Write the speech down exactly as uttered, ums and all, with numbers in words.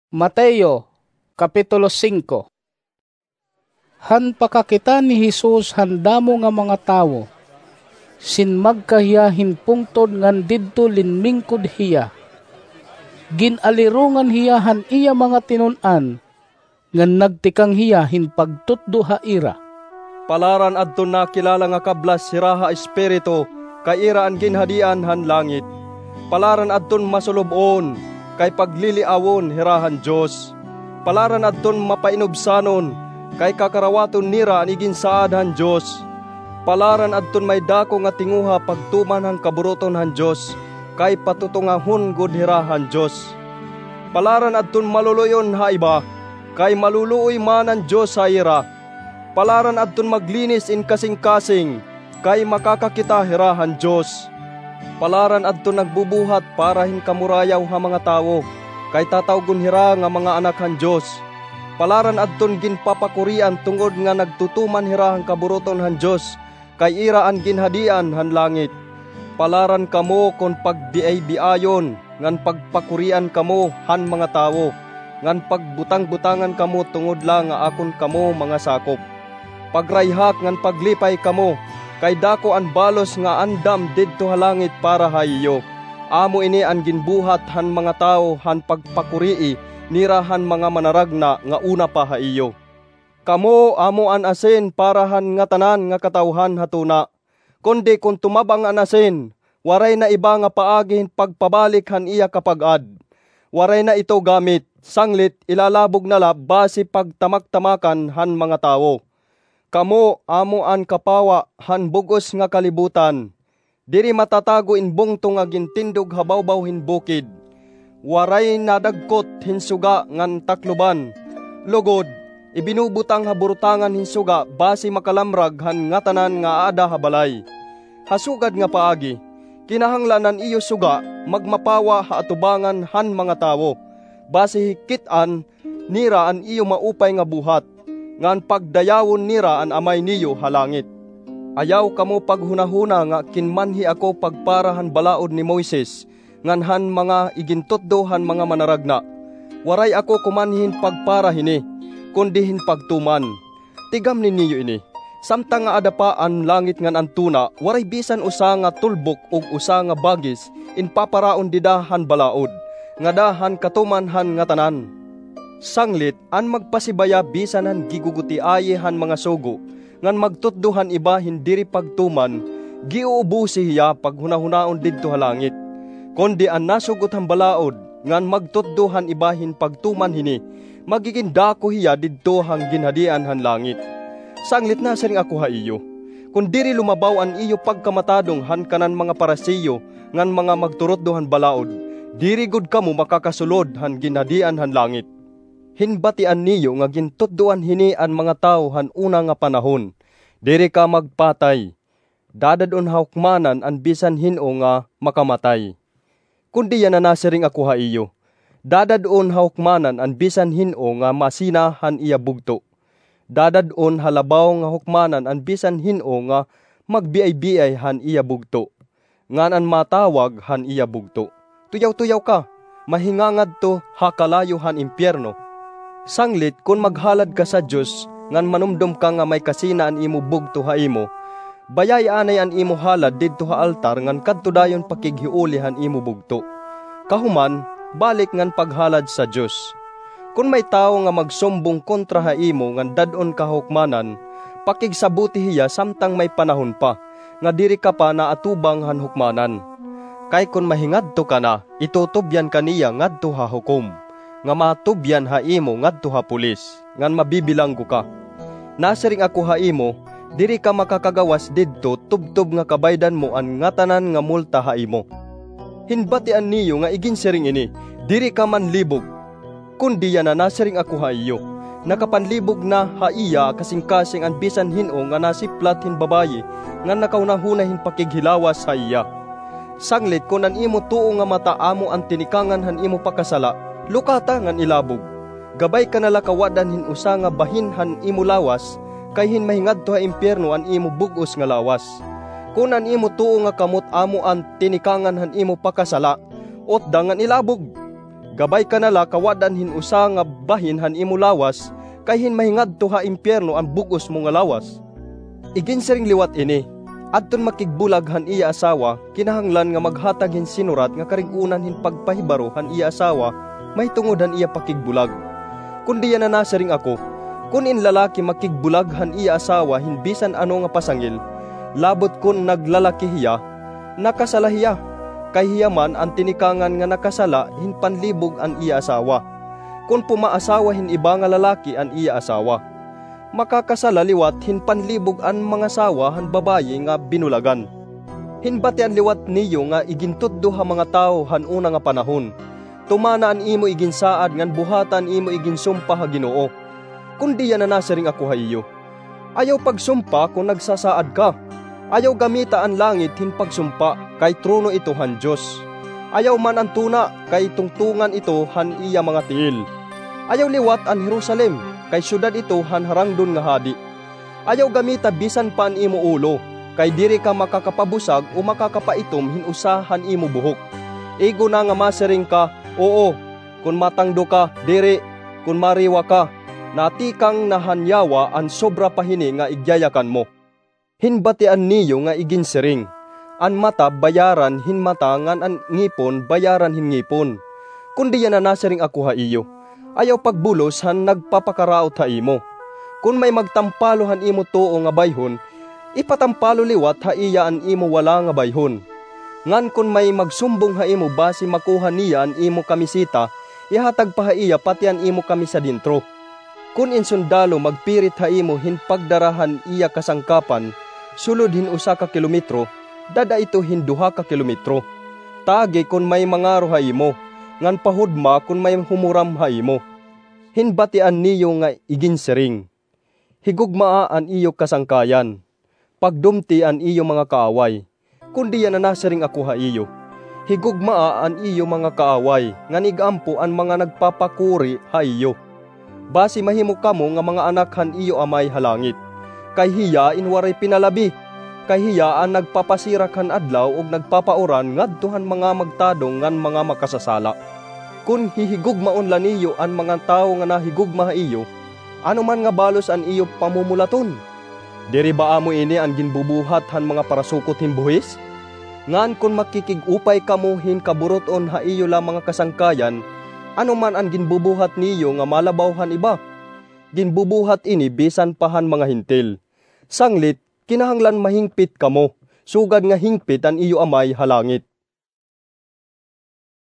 Mateo, Kapitulo singko. Han pakakita ni Jesus han damo nga mga tawo, sinmagka hiya hin pungtod ngan didto linmingkod hiya. Gin-alirongan hiya han iya mga tinun-an, ngan nagtikang hiya hin pagtutdo ha ira. Palaran adton nakilala nga kablas hira ha espiritu, kay ira an ginhadian han langit. Palaran adton masulub-on, kay pagliliawon hira han Dios. Palaran adton mapainubsanon, kay kakarawaton nira an iginsaad han Dios. Palaran adton may dako nga tinguha pagtuman han kaburuton han Dios, kay patutungahon gud hira han Dios. Palaran adton maluluy-on ha iba, kay maluluoy man an Dios ha ira. Palaran adton maglinis in kasingkasing, kay makakakita hira han Dios. Palaran adton nagbubuhat para hin kamurayaw ha mga tawo, kay tatawgon hira nga mga anak han Dios. Palaran adton ginpapakurian tungod nga nagtutuman hira han kaburuton han Dios, kay ira an ginhadian han langit. Palaran kamo kon pagbiaybiayon ngan pagpakurian kamo han mga tawo, ngan pagbutangbutangan kamo tungod la nga akon kamo mga sakop. Pagrayhak ngan paglipay kamo, kay dako an balos nga andam didto ha langit para ha iyo. Amo ini an ginbuhat han mga tawo han pagpakurii nira han mga manaragna nga una pa ha iyo. Kamo amo an asin para han ngatanan nga katawhan ha tuna. Kundi kon tumab-ang an asin, waray na iba nga paagi hin pagpabalik han iya kapag-ad. Waray na ito gamit, sanglit ilalabog na la basi pagtamaktamakan han mga tawo. Kamo amo an kapawa han bug-os nga kalibutan. Diri matatago in bungto nga gintindog ha bawbaw hin bukid. Waray nadagkot hin suga ngan takloban. Lugod, ibinubutang ha burutangan hin suga basi makalamrag han ngatanan nga aada ha balay. Ha sugad nga paagi, kinahanglan an iyo suga magmapawa ha atubangan han mga tawo, basi hikit-an nira an iyo maupay nga buhat, ngan pagdayawon nira an Amay niyo ha langit. Ayaw kamo paghunahuna nga kinmanhi ako pagpara han balaod ni Moises ngan han mga igintutdo han mga manaragna. Waray ako kumanhi hin pagpara hini, kundi hin pagtuman. Tigamni niyo ini, samtang nga aada pa an langit ngan an tuna, waray bisan usa nga tulbok ug usa nga bagis in paparaon dida han balaod, ngada han katuman han ngatanan. Sanglit, an magpasibaya bisan han gigugutiayi han mga sugo, ngan magtutdo han iba hin diri pagtuman, giuubusi hiya paghunahunaon didto ha langit. Kundi an nasugot han balaod, ngan magtutdo han iba hin pagtuman hini, magigin dako hiya didto han ginhadian han langit. Sanglit nasiring ako ha iyo, kon diri lumabaw an iyo pagkamatadong han kanan mga Pariseo ngan mga magturutdo han balaod, diri gud kamo makakasulod han ginhadian han langit. Hinbatian niyo nga gintutdoan hini an mga tawo han una nga panahon, "Diri ka magpatay. Dadad-on ha hukmanan an bisan hin-o nga makamatay." Kundi yana nasiring ako ha iyo, dadad-on ha hukmanan an bisan hin-o nga masina han iya bugto. Dadad-on ha labaw nga hukmanan an bisan hin-o nga magbiaybiay han iya bugto, ngan an matawag han iya bugto. Tuyaw-tuyaw ka, mahingangadto ha kalayo han impyerno. Sanglit kon maghalad ka sa Dios ngan manumdom ka nga may kasina an imo bugto ha imo, bayai anay an imo halad didto ha altar ngan kadto dayon pakighiuli han imo bugto. Kahuman, balik ngan paghalad sa Dios. Kon may tawo nga magsumbong kontra ha imo ngan dad-on ka ha hukmanan, pakigsaboti hiya samtang may panahon pa, nga diri ka pa naatubang han hukmanan. Kay kon mahingadto ka na, itutubyan ka niya ngadto ha hukom, nga matubyan ha imo ngadto ha pulis, ngan mabibilanggo ka. Nasiring ako ha imo, diri ka makakagawas didto tubtob nga kabaydan mo an ngatanan nga multa ha imo. Hinbatian niyo nga iginsiring ini, diri ka manlibog. Kundi yana nasiring ako ha iyo, nakapanlibog na ha iya kasingkasing an bisan hin-o nga nasiplat hin babaye ngan nakahunahuna hin pakighilawas ha iya. Sanglit kon an imo tuo nga mata amo an tinikangan han imo pakasala, lukata ngan ilabog. Gabay ka na la kawad-an hin usa nga bahin han imo lawas, kay hin mahingadto ha impyerno an imo bug-os nga lawas. Kon an imo tuo nga kamot amo an tinikangan han imo pakasala, utda ngan ilabog. Gabay ka na la kawad-an hin usa nga bahin han imo lawas, kay hin mahingadto ha impiyerno an bug-os mo nga lawas. Iginsiring liwat ini, adton makigbulag han iya asawa, kinahanglan nga maghatag hin sinurat nga karig-onan hin pagpahibaro han iya asawa mahitungod han iya pakigbulag. Kundi yana nasiring ako, kon in lalaki makigbulag han iya asawa hin bisan ano nga pasangil, labot kon naglalaki hiya, nakasala hiya, kay hiya man an tinikangan nga nakasala hin panlibog an iya asawa. Kon pumaasawa hin iba nga lalaki an iya asawa, makakasala liwat hin panlibog an mangasawa han babaye nga binulagan. Hin batian liwat niyo nga igintutdo ha mga tawo han una nga panahon, tumana an imo iginsaad ngan buhata an imo iginsumpa ha Ginoo. Kundi yana nasiring ako ha iyo, ayaw pagsumpa kon nagsasaad ka. Ayaw gamita an langit hin pagsumpa, kay trono ito han Dios. Ayaw man an tuna, kay tungtongan ito han iya mga tiil. Ayaw liwat an Jerusalem, kay syudad ito han harangdon nga hadi. Ayaw gamita bisan pa an imo ulo, kay diri ka makakapabusag o makakapaitom hin usa han imo buhok. Igo na nga masiring ka, "Oo," kon matangdo ka, "Diri," kon mariwa ka. Natikang na han yawa an sobra pa hini nga igyayakan mo. Hin batian niyo nga iginsiring, an mata bayaran hin mata ngan an ngipon bayaran hin ngipon. Kundi yana nasiring ako ha iyo, ayaw pagbulos han nagpapakaraot ha imo. Kon may magtampalo han imo tuo nga bayhon, ipatampalo liwat ha iya an imo wala nga bayhon. Ngan kon may magsumbong ha imo basi makuha niya an imo kamiseta, ihatag pa ha iya pati an imo kamisa dentro. Kon in sundalo magpirit ha imo hin pagdara han iya kasangkapan sulod hin usa ka kilometro, dad-a ito hin duha ka kilometro. Tagi kon may mangaro ha imo, ngan pahudma kon may humuram ha imo. Hin batian niyo nga iginsiring, higugmaa an iyo kasangkayan, pagdumti an iyo mga kaaway. Kundi yana nasiring ako ha iyo, higugmaa an iyo mga kaaway, ngan ig-ampo an mga nagpapakuri ha iyo. Basi mahimo kamo nga mga anak han iyo Amay ha langit. Kay hiya in waray pinalabi, kay hiya an nagpapasirak han adlaw ug nagpapauran ngadto han mga magtadong ngan mga makasasala. Kon hihigugmaon la niyo an mga tawo nga nahigugma ha iyo, ano man nga balos an iyo pamumulaton? Diri ba amo ini an ginbubuhat han mga parasukot hin buhis? Ngan kon makikig-upay kamo hin kaburut-on ha iyo la mga kasangkayan, ano man an ginbubuhat niyo nga malabaw han iba? Ginbubuhat ini bisan pa han mga Hentil. Sanglit, kinahanglan mahingpit kamo, sugad nga hingpit an iyo Amay ha langit.